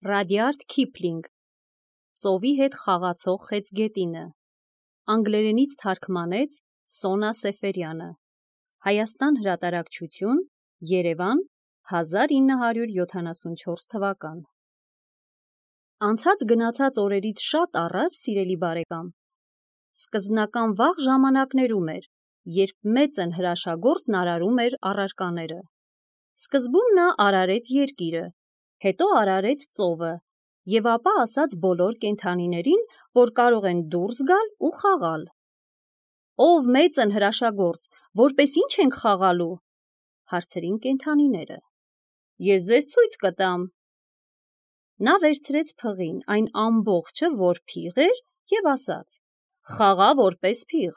Ռադյարդ Քիփլինգ Ծովի հետ խաղացող խեցգետինը Անգլերենից թարգմանեց Սոնա Սեֆերյանը Հայաստան հրատարակչություն Երևան 1974 թվական Անցած գնացած օրերից շատ առաջ, սիրելի բարեկամ, սկզբնական վաղ ժամանակներում էր, երբ մեծն հրաշագործն արարում էր առարկաները։ Սկզբում նա արարեց երկիրը, հետո արարեց ծովը, և ապա ասաց բոլոր կենդանիներին, որ կարող են դուրս գալ ու խաղալ։ Ով մեծն հրաշագործ, որպես ինչ ենք խաղալու, հարցրին կենդանիները։ Ես ձեզ ցույց կտամ։ Նա վերցրեց փղին, այն ամբողջը, որ փիղ էր, և ասաց. խաղա որպես փիղ։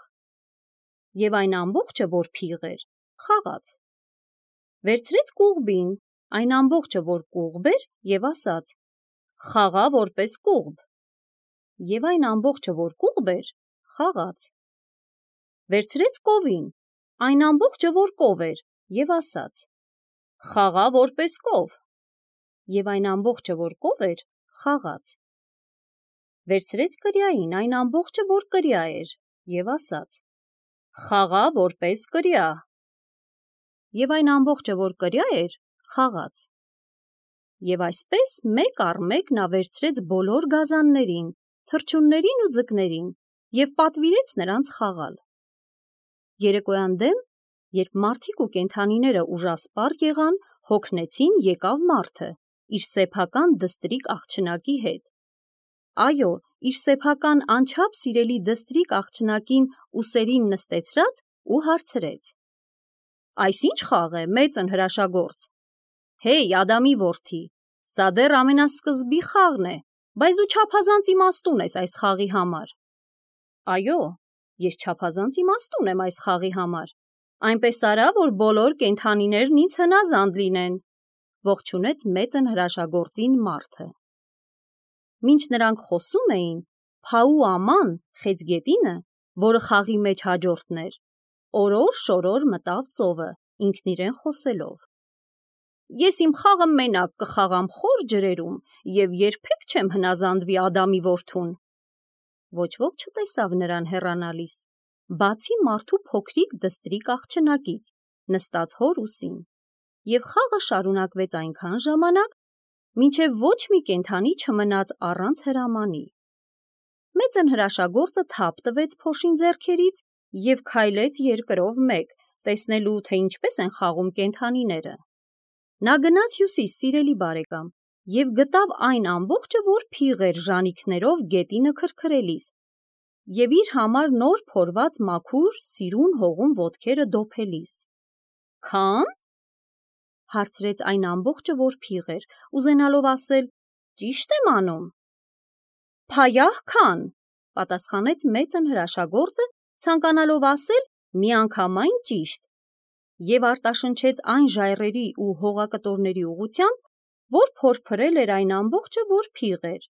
Եվ այն ամբողջը, որ փիղ էր, խաղաց։ Վերցրեց կուղբին, այն ամբողջը, որ կուղբ էր, և ասաց. խաղա որպես կուղբ։ Եվ այն ամբողջը, որ կուղբ էր, խաղաց։ Վերցրեց կովին, այն ամբողջը, որ կով էր, և ասաց. խաղա որպես կով։ Եվ այն ամբողջը, որ կով էր, խաղաց։ Վերցրեց կրիային, այն ամբողջը, որ կրիա էր, և ասաց. խաղա որպես կրիա։ Եվ այն ամբողջը, որ կրիա էր, խաղաց։ Եվ այսպես մեկ առ մեկ նա վերցրեց բոլոր գազաններին, թռչուններին ու ձկներին և պատվիրեց նրանց խաղալ։ Երեկոյան դեմ, երբ մարդիկ ու կենդանիները ուժասպառ եղան, հոգնեցին եկավ մարդը իր սեփական դստրիկ աղջնակի հետ։ Այո, իր սեփական անչափ սիրելի դստրիկ աղջնակին ուսերին նստեցրած ու հարցրեց. Այս ի՞նչ խաղ է, մեծն հրաշագործ։ Հեյ, Ադամի որդի, սա դեռ ամենասկզբի խաղն է, բայց դու չափազանց իմաստուն ես այս խաղի համար։ Այո, ես չափազանց իմաստուն եմ այս խաղի համար, այնպես արա, որ բոլոր կենդանիներն ինձ հնազանդ լինեն, ողջունեց մեծն հրաշագործին մարդը։ Մինչ նրանք խոսում էին, Փաու Աման, խեցգետինը, որը խաղի մեջ հաջորդն էր, օրոր-շորոր մտավ ծովը, ինքն իրեն խոսելով. Ես իմ խաղը մենակ կխաղամ խոր ջրերում և երբեք չեմ հնազանդվի Ադամի որդուն։ Ոչ ոք չտեսավ նրան հեռանալիս, բացի մարդու փոքրիկ դստրիկ աղջնակից, նստած հոր ուսին, և խաղը շարունակվեց այնքան ժամանակ, մինչև ոչ մի կենդանի չմնաց առանց հրամանի։ Մեծն հրաշագործը թափ տվեց փոշին ձեռքերից և քայլեց երկրով մեկ, տեսնելու, թե ինչպես են խաղում կենդանիները։ Նա գնաց հյուսիս, սիրելի բարեկամ, և գտավ այն ամբողջը, որ փիղ էր ժանիքներով գետինը քրքրելիս, և իր համար նոր փորված մաքուր, սիրուն հողում ոտքերը դոփելիս։ Քա՞ն, հարցրեց այն ամբողջը, որ փիղ էր, ուզենալով ասել. ճի՞շտ եմ անում։ Փայահ քան, պատասխանեց մեծն հրաշագործը, ցանկանալով ասել միանգամայն ճիշտ, և արտաշնչեց այն ժայռերի ու հողակտորների ուղղությամբ, որ փորփրել էր այն ամբողջը, որ փիղ էր։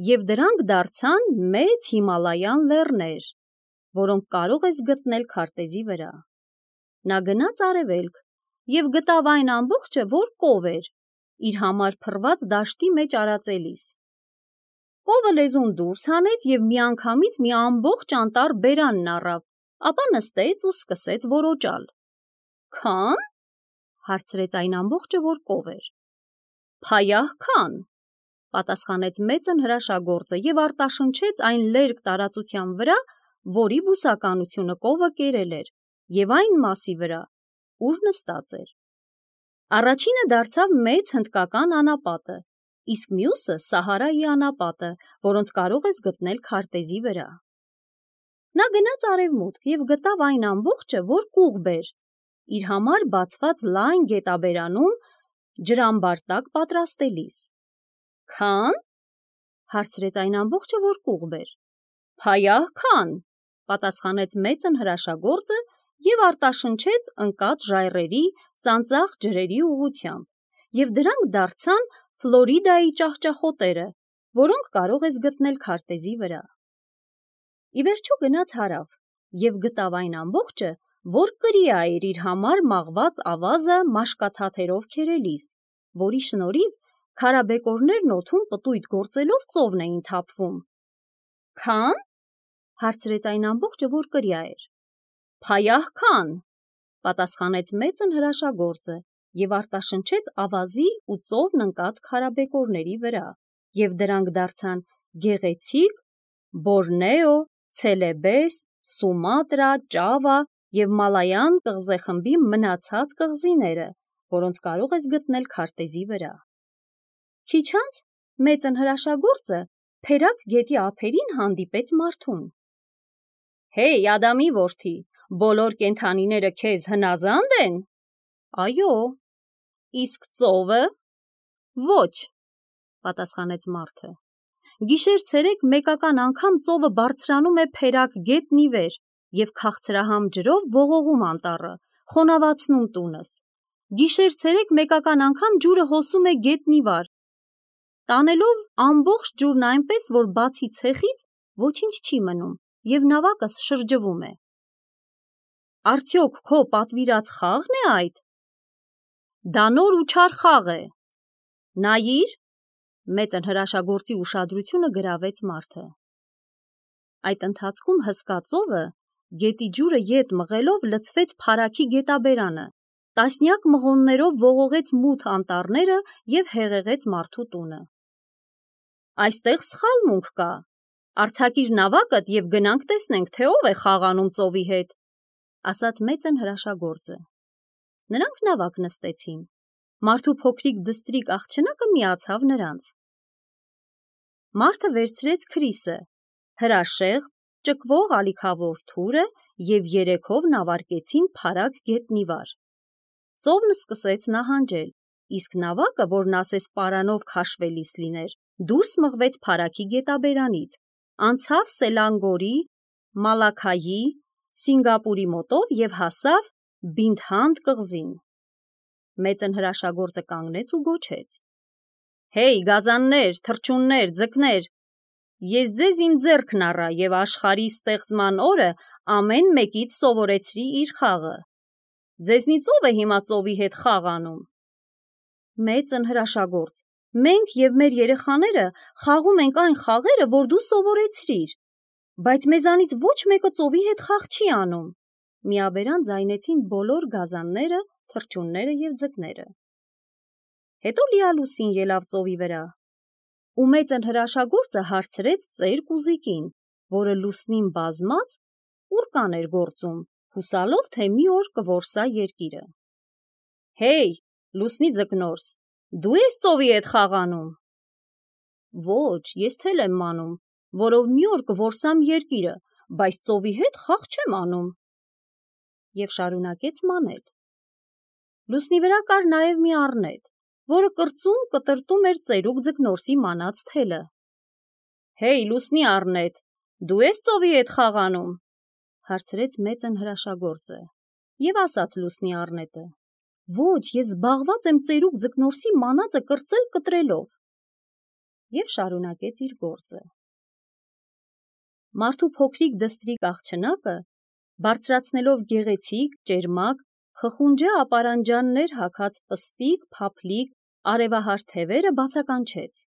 Եվ դրանք դարձան մեծ Հիմալայան լեռներ, որոնք կարող ես գտնել քարտեզի վրա։ Նա գնաց արևելք և գտավ այն ամբողջը, որ կով էր, իր համար փռված դաշտի մեջ արածելիս։ Կովը լեզուն դուրս հանեց և միանգամից մի ամբողջ անտառ բերանն առավ, ապա նստեց ու սկսեց որոճալ։ Քա՞ն, հարցրեց այն ամբողջը, որ կով էր։ Փայահ քան, պատասխանեց մեծն հրաշագործը և արտաշնչեց այն լերկ տարածության վրա, որի բուսականությունը կովը կերել էր, և այն մասի վրա, ուր նստած էր։ Առաջինը դարձավ մեծ հնդկական անապատը, իսկ մյուսը Սահարայի անապատը, որոնց կարող ես գտնել քարտեզի վրա։ Նա գնաց արևմուտք և գտավ այն ամբողջը, որ կուղբ էր, իր համար բացված լայն գետաբերանում ջրամբար տակ պատրաստելիս։ Քա՞ն, հարցրեց այն ամբողջը, որ կուղբ էր։ Փայահ քան, պատասխանեց մեծն հրաշագործը և արտաշնչեց ընկած ժայռերի, ծանծաղ ջրերի ուղղությամբ, և դրանք դարձան Ֆլորիդայի ճահճախոտերը, որոնք կարող ես գտնել քարտեզի վրա։ Ի վերջո գնաց հարավ և գտավ այն ամբողջը, որ կրիա էր իր համար մաղված ավազը մաշկաթաթերով քերելիս, որի շնորհիվ Քարաբեկորներն օդում պտույտ գործելով ծովն էին թափվում։ Քան? Հարցրեց այն ամբողջը, որ կրյա էր։ Փայահ քան, պատասխանեց մեծն հրաշագործը և արտաշնչեց ավազի ու ծովն ընկած քարաբեկորների վրա, և դրանք դարձան գեղեցիկ Բորնեո, Ցելեբես, Սումատրա, Ճավա և Մալայան կղզեխմբի մնացած կղզիները, որոնց կարող ես գտնել քարտեզի վրա։ Քիչ անց մեծն հրաշագործը Փերակ գետի ափերին հանդիպեց մարդուն։ Հեյ, Ադամի որդի, բոլոր կենդանիները քեզ հնազանդ են։ Այո։ Իսկ ծովը։ Ոչ, պատասխանեց մարդը։ Գիշեր-ցերեկ մեկական անգամ ծովը բարձրանում է Փերակ գետն ի վեր և քաղցրահամ ջրով ողողում անտառը, խոնավացնում տունս։ Գիշեր-ցերեկ մեկական անգամ ջուրը հոսում է գետնի վար, տանելով ամբողջ ջուրն այնպես, որ բացի ցեխից ոչինչ չի մնում, և նավակս շրջվում է։ Արդյոք քո պատվիրած խաղն է այդ։ Դա նոր ու չար խաղ է։ Նայիր, մեծն հրաշագործի ուշադրությունը գրավեց մարդը։ Այդ ընթացքում հսկա ծովը գետի ջուրը ետ մղելով լցվեց Փարաքի գետաբերանը, տասնյակ մղոններով ողողեց մութ անտառները և հեղեղեց մարդու տունը։ Այստեղ սխալմունք կա։ Արձակիր նավակդ և գնանք տեսնենք, թե ով է խաղանում ծովի հետ, ասաց մեծն հրաշագործը։ Նրանք նավակ նստեցին։ Մարդու փոքրիկ դստրիկ աղջնակը միացավ նրանց։ Մարդը վերցրեց Քրիսը, հրաշեղ, ճկվող ալիքավոր թուրը և երեքով նավարկեցին Փարակ գետնի վար։ Ծովն սկսեց նահանջել, իսկ նավակը, որն ասես պարանով քաշվելիս լիներ, դուրս մղվեց Փարաքի գետաբերանից, անցավ Սելանգորի, Մալաքայի, Սինգապուրի մոտով և հասավ Բինթհանդ կղզին։ Մեծն հրաշագործը կանգնեց ու գոչեց. Հեյ, գազաններ, թռչուններ, ձկներ, ես ձեզ իմ ձեռքն առա և աշխարհի ստեղծման օրը ամեն մեկից սովորեցրի իր խաղը։ Ձեզնից ով է հիմա ծովի հետ խաղ անում։ Մեծն հրաշագործ, մենք և մեր երեխաները խաղում ենք այն խաղերը, որ դու սովորեցրիր, բայց մեզանից ոչ մեկը ծովի հետ խաղ չի անում, միաբերան ձայնեցին բոլոր գազանները, թռչունները և ձկները։ Հետո լիալուսին ելավ ծովի վրա, ու մեծն հրաշագործը հարցրեց ծեր կուզիկին, որը լուսնին բազմած ուռկան էր գործում, հուսալով, թե մի օր կորսա երկիրը։ Հեյ, լուսնի ձկնորս, դու ես ծովի հետ խաղ անում։ Ոչ, ես թել եմ մանում, որով մի օր կորսամ երկիրը, բայց ծովի հետ խաղ չեմ անում։ Եվ շարունակեց մանել։ Լուսնի վրա կար նաև մի առնետ, որը կրծում կտրտում էր ծերուկ ձկնորսի մանած թելը։ Հեյ, լուսնի առնետ, դու ես ծովի հետ խաղ անում, հարցրեց մեծն հրաշագործը, և ասաց լուսնի առնետը. Ոչ, ես զբաղված եմ ծերուկ ձկնորսի մանածը կրծել կտրելով։ Եվ շարունակեց իր գործը։ Մարդու փոքրիկ դստրիկ աղջնակը, բարձրացնելով գեղեցիկ, ճերմակ, խխունջե ապարանջաններ հագած պստիկ, փափլիկ, արևահար թևերը բացականչեց.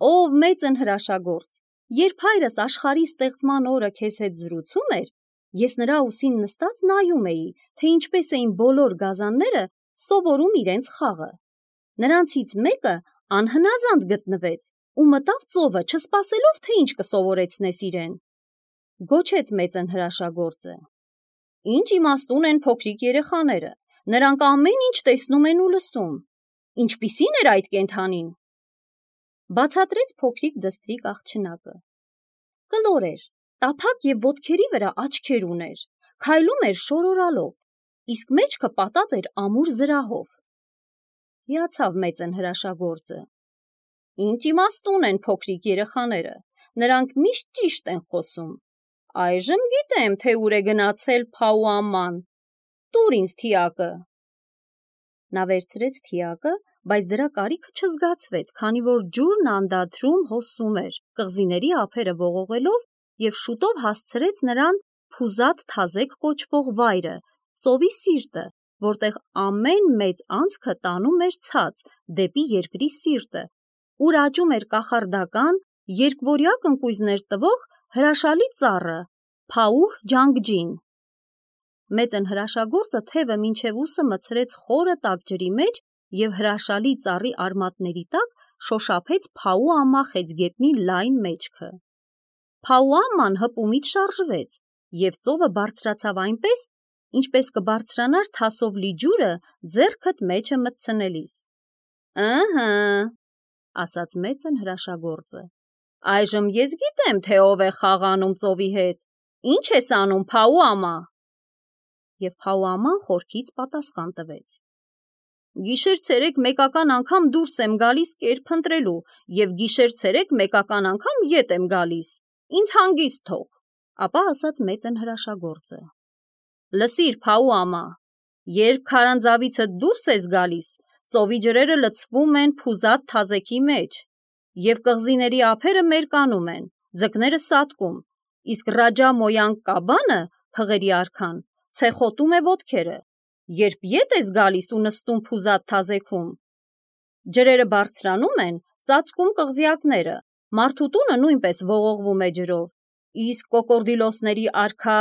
Ով մեծն հրաշագործ, երբ հայրս աշխարհի ստեղծման օրը քեզ հետ զրուցում էր, ես նրա ուսին նստած նայում էի, թե ինչպես էին բոլոր գազանները սովորում իրենց խաղը։ Նրանցից մեկը անհնազանդ գտնվեց ու մտավ ծովը, չսպասելով, թե ինչ կսովորեցնես իրեն։ Գոչեց մեծն հրաշագործը. Ինչ իմաստուն են փոքրիկ երեխաները, նրանք ամեն ինչ տեսնում են ու լսում։ Ինչպիսի՞ն էր այդ կենդանին։ Բացատրեց փոքրիկ դստրիկ աղջնակը։ Կլոր էր, տափակ և ոտքերի վրա աչքեր ուներ, քայլում էր շորորալով, իսկ մեջքը պատած էր ամուր զրահով։ Հիացավ մեծն հրաշագործը։ Ինչ իմաստուն են փոքրիկ երեխաները, նրանք միշտ ճիշտ են խոսում։ Այժմ գիտեմ, թե ուր է գնացել Փաուաման։ Տուր ինձ թիակը։ Նա վերցրեց թիակը, բայց դրա կարիքը չզգացվեց, քանի որ ջուրն անդադրում հոսում էր, կղզիների ափերը ողողելով, և շուտով հասցրեց նրան Փուզաթ Թազեք կոչվող վայրը, ծովի սիրտը, որտեղ ամեն մեծ անցքը տանում էր ցած դեպի երկրի սիրտը, ուր աճում էր կախարդական, երկվորյակ ընկույզներ տվող հրաշալի ծառը Փաուհ Ջանգջին։ Մեծն հրաշագործը թևը մինչև ուսը մցրեց խորը տաք ջրի մեջ և հրաշալի ծառի արմատների տակ շոշափեց Փաուամա խեցգետնի լայն մեջքը։ Փաուաման հպումից շարժվեց և ծովը բարձրացավ այնպես, ինչպես կբարձրանար թասով լի ջուրը ձեռքդ մեջը մտցնելիս։ «Ըհը», ասաց մեծն հրաշագործը, «այժմ ես գիտեմ, թե ով է խաղանում ծովի հետ։ Ինչ ես անում, Փաուամա»։ Եվ Փաուաման խորքից պատասխան տվեց. «Գիշեր-ցերեկ մեկական անգամ դուրս եմ գալիս կեր փնտրելու և գիշեր-ցերեկ մեկական անգամ ետ եմ գալիս, ինձ հանգիստ թող»։ Ապա ասաց մեծն հրաշագործը. «Լսիր, Փաուամա, երբ քարանձավիցդ դուրս ես գալիս, ծովի ջրերը լցվում են փուզատ թազեքի մեջ, և կղզիների ափերը մերկանում են, ձկները սատկում, իսկ Ռաջա Մոյանք կաբանը, փղերի արքան, ցեխոտում է ոտքերը, երբ ետ ես գալիս ու նստում փուզատ թազեքում, ջրերը բարձրանում են, ծածկում կղզյակները, մարդու տունը նույնպես ողողվում է ջրով, իսկ կոկորդիլոսների արքա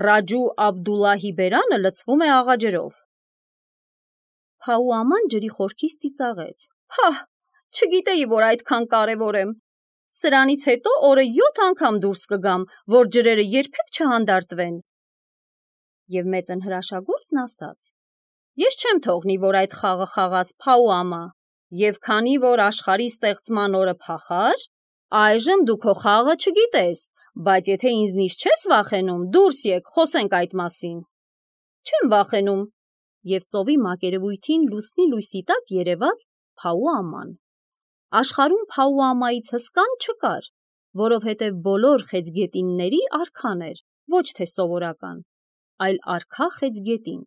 Ռաջու Աբդուլլահի բերանը լցվում է աղաջրով»։ Փաուաման ջրի խորքից ծիծաղեց. «Հա, չգիտեի, որ այդքան կարևոր եմ։ Սրանից հետո օրը 7 անգամ դուրս կգամ, որ ջրերը երբեք չհանդարտվեն»։ Եվ մեծն հրաշագործն ասաց. «Ես չեմ թողնի, որ այդ խաղը խաղաս, Փաուամա, և քանի որ աշխարհի ստեղծման օրը փախար, այժմ դու քո խաղը չգիտես, բայց եթե ինձնից չես վախենում, դուրս եկ, խոսենք այդ մասին»։ «Չեմ վախենում», և ծովի մակերևույթին լուսնի լույսի տակ երևաց Փաուաման։ Աշխարհում Փաուամայից հսկան չկար, որովհետև բոլոր խեցգետինների արքան էր, ոչ թե սովորական, այլ արքա խեցգետին։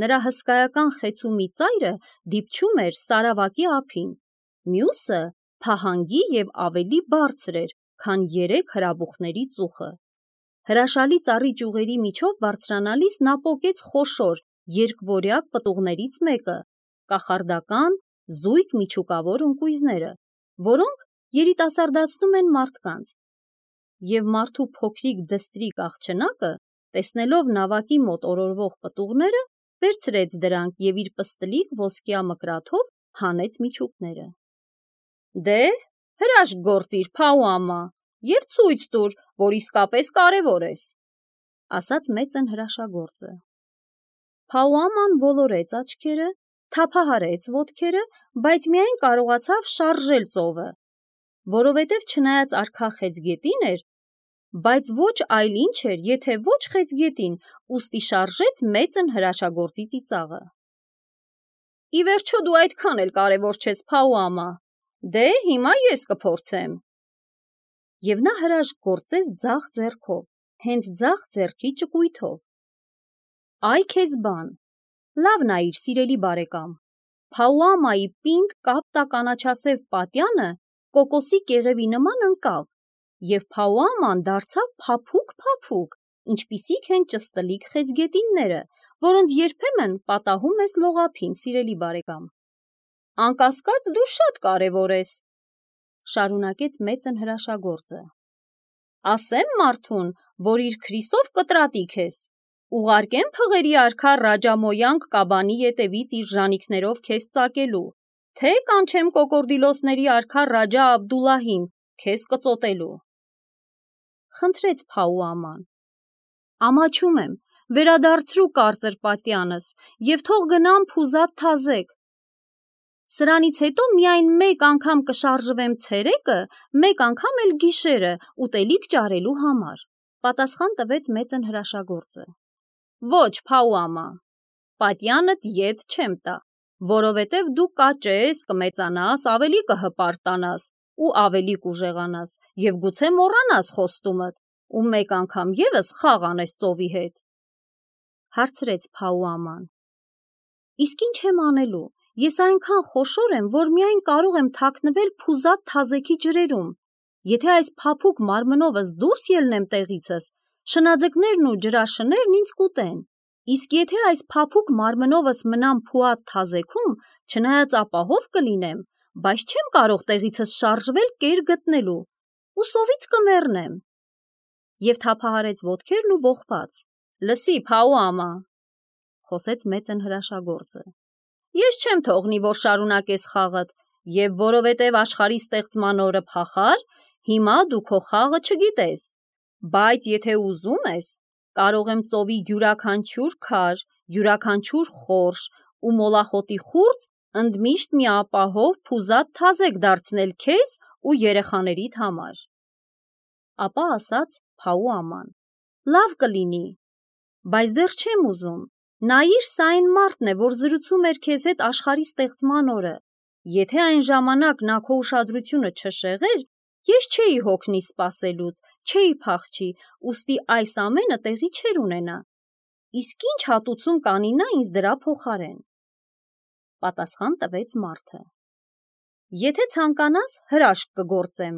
Նրա հսկայական խեցու մի ծայրը դիպչում էր Սարավակի ափին, մյուսը փահանգի և ավելի բարձր էր, քան 3 հրաբուխների ծուխը։ Հրաշալի ծառի ճյուղերի միջով բարձրանալիս նա պոկեց խոշոր երկվորյակ պտուղներից մեկը, կախարդական, զույգ միջուկավոր ընկույզները, որոնք երիտասարդացնում են մարդկանց։ Եվ մարդու փոքրիկ դստրիկ աղջնակը, տեսնելով նավակի մոտ օրորվող պտուղները, վերցրեց դրանք և իր պստլիկ ոսկյա մկրաթով հանեց միջուկները։ «Դե, հրաշք գործիր, Փաուամա, և ցույց տուր, որ իսկապես կարևոր ես», ասաց մեծն հրաշագործը։ Փաուաման ոլորեց աչքերը, թափահարեց ոտքերը, բայց միայն կարողացավ շարժել ծովը, որովհետև չնայած արքա խեցգետին էր, բայց ոչ այլ ինչ էր, եթե ոչ խեցգետին, ուստի շարժեց մեծն հրաշագործի ծիծաղը։ «Ի վերջո դու այդքան էլ կարևոր չես, Փաուամա, դե հիմա ես կփորձեմ»։ Եվ նա հրաշք գործեց ձախ ձեռքով, հենց ձախ ձեռքի ճկույթով։ «Այ քեզ բան, լավ նայիր, սիրելի բարեկամ, Փաուամայի պինդ կապտա կանաչասև պատյանը կոկոսի կեղևի նման ընկավ, և Փաուաման դարձավ փափուկ, ինչպիսիք են ճստլիկ խեցգետինները, որոնց երբեմն պատահում ես լողափին, սիրելի բարեկամ»։ «Անկասկած դու շատ կարևոր ես», շարունակեց մեծն հրաշագործը։ «Ասեմ մարդուն, որ իր քրիսով կտրատիկ ես, ուղարկեմ փղերի արքա Ռաջա Մոյանք կաբանի ետևից իր ժանիքներով քեզ ծակելու, թե կանչեմ կոկորդիլոսների արքա Ռաջա Աբդուլլահին քեզ կծոտելու»։ Խնդրեց Փաուաման. «Ամաչում եմ, վերադարձրու կարծր պատյանս և թող գնամ փուզատ թազեկ։ Սրանից հետո միայն մեկ անգամ կշարժվեմ ցերեկը, մեկ անգամ էլ գիշերը ուտելիք ճարելու համար», պատասխան տվեց մեծն հրաշագործը։ «Ոչ, Փաուամա, պատյանդ ետ չեմ տա, որովհետև դու կաճես, կմեծանաս, ավելի կհպարտանաս ու ավելի կուժեղանաս և գուցե մոռանաս խոստումդ ու մեկ անգամ ևս խաղ անես ծովի հետ»։ Հարցրեց Փաուաման. «Իսկ ինչ եմ անելու, ես այնքան խոշոր եմ, որ միայն կարող եմ թաքնվել փուզատ թազեքի ջրերում, եթե այս փափուկ մարմնովս դուրս ելնեմ տեղիցս, շնաձկներն ու ջրաշներն ինձ կուտեն, Իսկ եթե այս փափուկ մարմնովս մնամ փուատ թազեքում, չնայած ապահով կլինեմ, բայց չեմ կարող տեղիցս շարժվել կեր գտնելու, ու սովից կմեռնեմ։ Եվ թափահարեց ոտքերն ու ողբաց. «Լսի, Փաու ամա», խոսեց մեծն հրաշագործը, «ես չեմ թողնի, որ շարունակես խաղդ, եւ որովհետեւ աշխարհի ստեղծման օրը փախար, հիմա դու քո խաղը չգիտես, բայց եթե ուզում ես, կարող եմ ծովի յուրաքանչյուր քար, յուրաքանչյուր խորշ ու մոլախոտի խուրձ ընդմիշտ մի ապահով փուզատ թազեկ դարձնել քեզ ու երեխաներիդ համար»։ Ապա ասաց Փաու աման. «Լավ կլինի, բայց դեռ չեմ ուզում, նայիր, սա այն մարդն է, որ զրուցում էր քեզ հետ աշխարհի ստեղծման օրը, եթե այն ժամանակ նա քո ուշադրությունը չշեղեր, ես չէի հոգնի սպասելուց, չէի փախչի, ուստի այս ամենը տեղի չէր ունենա, իսկ ինչ հատուցում կանի նա ինձ դրա փոխարեն»։ Պատասխան տվեց մարդը. «Եթե ցանկանաս, հրաշք կգործեմ,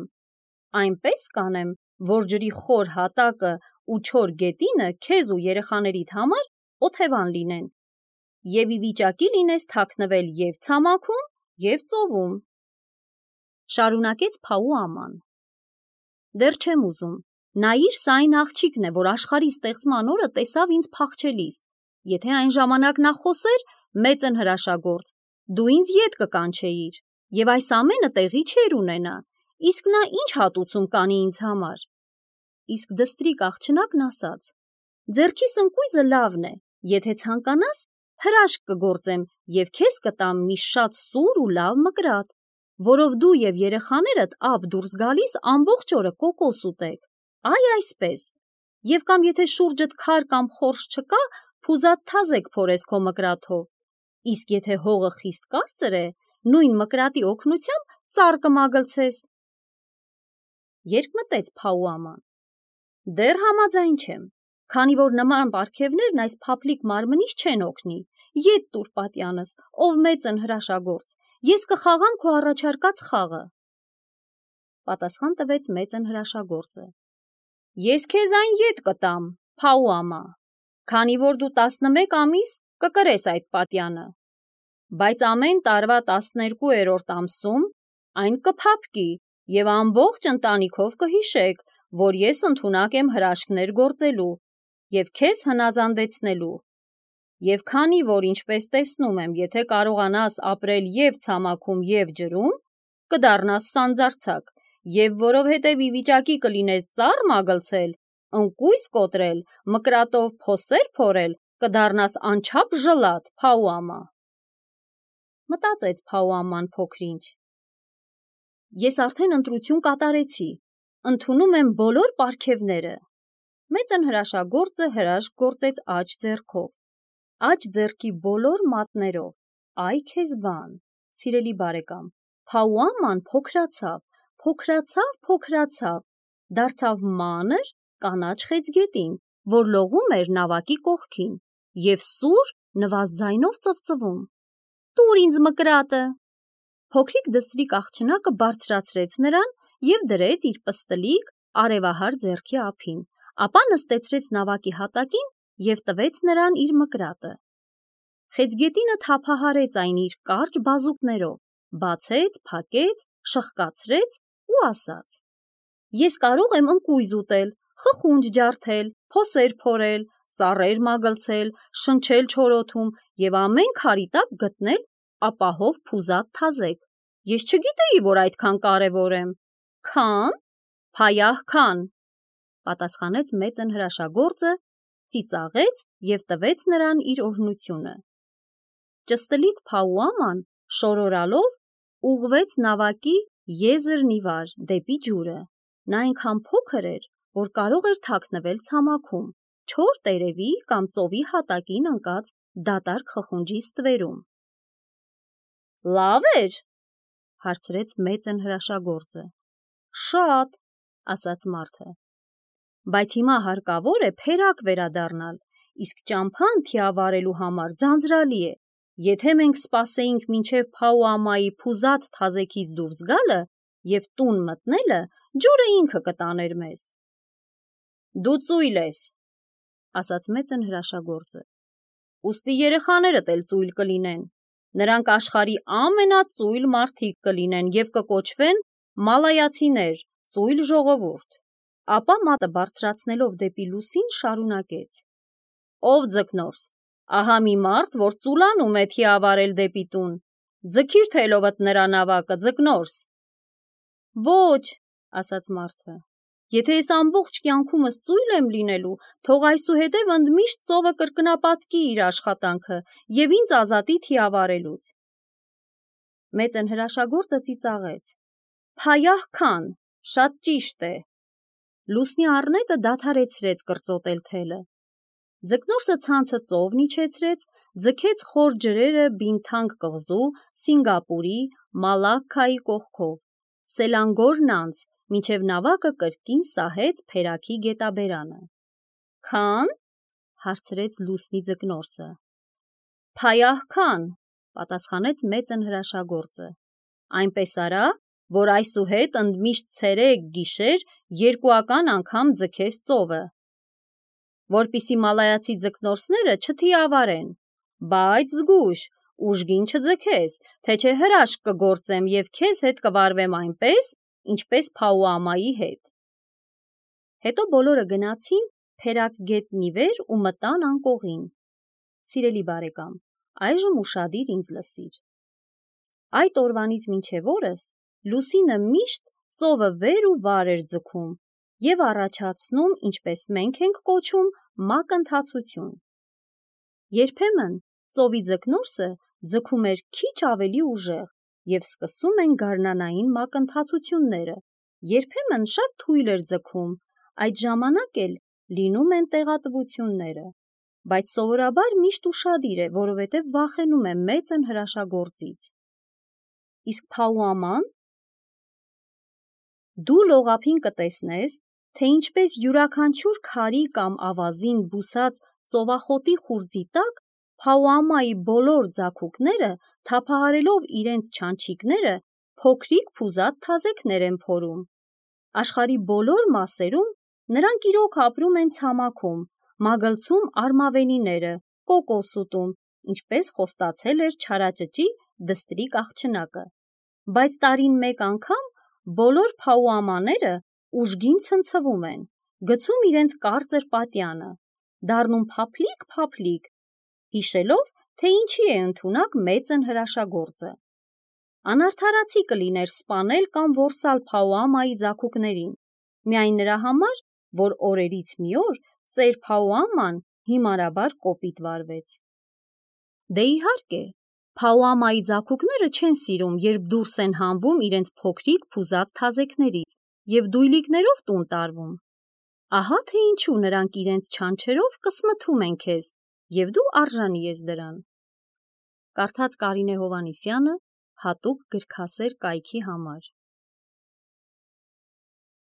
այնպես կանեմ, որ ջրի խոր հատակը ու չոր գետինը քեզ ու երեխաներիդ համար օթևան լինեն, եւ ի վիճակի լինես թաքնվել եւ ցամաքում, եւ ծովում»։ Շարունակեց Փաու աման. «Դեռ չեմ ուզում, նայիր, սա այն աղջիկն է, որ աշխարհի ստեղծման օրը տեսավ ինձ փախչելիս, եթե այն ժամանակ նա խոսեր, մեծն հրաշագործ, դու ինձ ետ կկանչեիր, եւ այս ամենը տեղի չէր ունենա, իսկ նա ինչ հատուցում կանի ինձ համար»։ Իսկ դստրիկ աղջնակն ասաց. «Ձեռքիս ընկույզը լավն է, եթե ցանկանաս, հրաշք կգործեմ եւ քեզ կտամ մի շատ սուր ու լավ մկրատ, որով դու եւ երեխաներդ ափ դուրս գալիս ամբողջ օրը կոկոս ուտեք, այ այսպես, եւ կամ եթե շուրջդ քար կամ խորշ չկա, փուզատ թազեկ փորես քո մկրատով, իսկ եթե հողը խիստ կարծր է, նույն մկրատի օգնությամբ ծառ կմագլցես»։ Երբ մտեց Փաու աման. «Դեռ համաձայն չեմ, քանի որ նման պարգևներն այս փափլիկ մարմնից չեն օգնի, ետ տուր պատյանս, ով մեծն հրաշագործ, ես կխաղամ քո առաջարկած խաղը»։ Պատասխան տվեց մեծն հրաշագործը. «Ես քեզ այն ետ կտամ, Փաու ամա, քանի որ դու 11 ամիս կկրես այդ պատյանը, բայց ամեն տարվա 12-րդ ամսում այն կփափկի եւ ամբողջ ընտանիքով կհիշեք, որ ես ընդունակ եմ հրաշքներ գործելու եւ քեզ հնազանդեցնելու, եւ քանի որ ինչպես տեսնում եմ, եթե կարողանաս ապրել եւ ցամաքում եւ ջրում, կդառնաս սանձարձակ, եւ որովհետեւ ի վիճակի կլինես ծառ մագլցել, ընկույզ կոտրել, մկրատով փոսեր փորել, կդառնաս անչափ ժլատ, Փաու ամա»։ Մտածեց Փաու աման փոքրինչ. «Ես արդեն ընտրություն կատարեցի, ընդունում եմ բոլոր պարգևները»։ Մեծն հրաշագործը հրաշք գործեց աջ ձեռքով, աջ ձեռքի բոլոր մատներով, այ քեզ բան, սիրելի բարեկամ, Փաու աման փոքրացավ, դարձավ մանր կանաչ խեցգետին, որ լողում էր նավակի կողքին եւ սուր նվազ ձայնով ծվծվում. «Տուր ինձ մկրատը»։ Փոքրիկ դստրիկ աղջնակը բարձրացրեց նրան եւ դրեց իր պստլիկ արևահար ձեռքի ափին, ապա նստեցրեց նավակի հատակին եւ տվեց նրան իր մկրատը։ Խեցգետինը թափահարեց այն իր կարճ բազուկներով, բացեց, փակեց, շխկացրեց ու ասաց. «Ես կարող եմ ընկույզ ուտել, խխունջ ջարդել, փոսեր փորել, ծառեր մագլցել, շնչել չորոթում եւ ամեն քարի տակ գտնել ապահով փուզատ թազեկ։ Ես չգիտեի, որ այդքան կարևոր եմ»։ «Քան»։ «Փայահ քան», պատասխանեց մեծն հրաշագործը, ծիծաղեց եւ տվեց նրան իր օրհնությունը։ Ճստլիկ Փաու աման շորորալով ուղղվեց նավակի եզրն ի վար դեպի ջուրը։ Նա այնքան փոքր էր, որ կարող էր թաքնվել ցամաքում, չոր տերևի կամ ծովի հատակին ընկած դատարկ խխունջի ստվերում։ «Լավ էր», հարցրեց մեծն հրաշագործը։ «Շատ», ասաց մարդը։ «Բայց հիմա հարկավոր է փերակ վերադառնալ, իսկ ճամփան թիավարելու համար ձանձրալի է։ Եթե մենք սպասեինք մինչև Փաու ամայի փուզատ թազեքից դուրս գալը եւ տուն մտնելը, ջուրը ինքը կտաներ մեզ»։ «Դու ծույլ ես», ասաց մեծն հրաշագործը։ ուստի երեխաներդ էլ ծույլ կլինեն։ Նրանք աշխարհի ամենածույլ մարդիկ կլինեն և կկոչվեն մալայացիներ, ծույլ ժողովուրդ։ Ապա մատը բարձրացնելով դեպի լուսին շարունակեց. Ով ձկնորս, ահա մի մարդ, որ ծուլանում է թիավարել դեպի տուն, ձգիր թելովդ նրա նավակը, ձկնորս։ Ոչ, ասաց մարդը, եթե ես ամբողջ կյանքումս ծույլ եմ լինելու, թող այսուհետև ընդմիշտ ծովը կրկնապատկի իր աշխատանքը և ինձ ազատի թիավարելուց։ Մեծն հրաշագործը ծիծաղեց. Փայահ քան, շատ ճիշտ է։ Լուսնի առնետը դադարեցրեց կրծոտել թելը։ Ձկնորսը ցանցը ծով իջեցրեց, ձգեց խոր ջրերը Բինթանգ կղզու, Սինգապուրի, Մալակքայի կողքով, Սելանգորն անց, մինչև նավակը կրկին սահեց փերակի գետաբերանը։ Քան, հարցրեց լուսնի ձկնորսը։ Փայահ քան, պատասխանեց մեծն հրաշագործը։ Այնպես արա, որ այսուհետ ընդմիշտ ցերեկ գիշեր երկուական անգամ ձգես ծովը, որպիսի մալայացի ձկնորսները չթիավարեն, բայց զգույշ, ուժգին չձգես, թե չէ հրաշք կգործեմ և քեզ հետ կվարվեմ այնպես, ինչպես Փաուամայի հետ։ Հետո բոլորը գնացին փերակ գետնի վեր ու մտան անկողին։ Սիրելի բարեկամ, այժմ ուշադիր ինձ լսիր։ Այդ օրվանից մինչև օրս լուսինը միշտ ծովը վեր ու վար էր ձգում և առաջացնում, ինչպես մենք ենք կոչում, մակընթացություն։ Երբեմն ծովի ձկնորսը ձգում էր քիչ ավելի ուժեղ և սկսում են գարնանային մակընթացությունները, երբեմն շատ թույլ էր ձգում, այդ ժամանակ էլ լինում են տեղատվությունները, բայց սովորաբար միշտ ուշադիր է, որովհետև վախենում է մեծն հրաշագործից։ Իսկ Փաուաման։ Դու լողափին կտեսնես, թե ինչպես յուրաքանչյուր քարի կամ ավազին բուսած ծովախոտի խուրձի տակ Փաուամայի բոլոր ձագուկները, թափահարելով իրենց չանչիկները, փոքրիկ փուզատ թազեքներ են փորում։ Աշխարհի բոլոր մասերում նրանք իրոք ապրում են ցամաքում, մագլցում արմավենիները, կոկոս ուտում, ինչպես խոստացել էր չարաճճի դստրիկ աղջնակը։ Բայց տարին մեկ անգամ բոլոր Փաուամաները ուժգին ցնցվում են, գցում իրենց կարծր պատյանը, դառնում փափլիկ, հիշելով, թե ինչի է ընդունակ մեծն հրաշագործը։ Անարդարացի կլիներ սպանել կամ որսալ Փաուամայի ձագուկներին, միայն նրա համար, որ օրերից մի օր ծեր Փաուաման հիմարաբար կոպիտ վարվեց։ Դե իհարկե, Փաուամայի ձագուկները չեն սիրում, երբ դուրս են հանվում իրենց փոքրիկ փուզատ թազեքներից և դույլիկներով տուն տարվում։ Ահա թե ինչու նրանք իրենց չանչերով կսմթում են քեզ, և դու արժանի ես դրան։ Կարդաց Կարինե Հովհաննիսյանը հատուկ գրքասեր կայքի համար։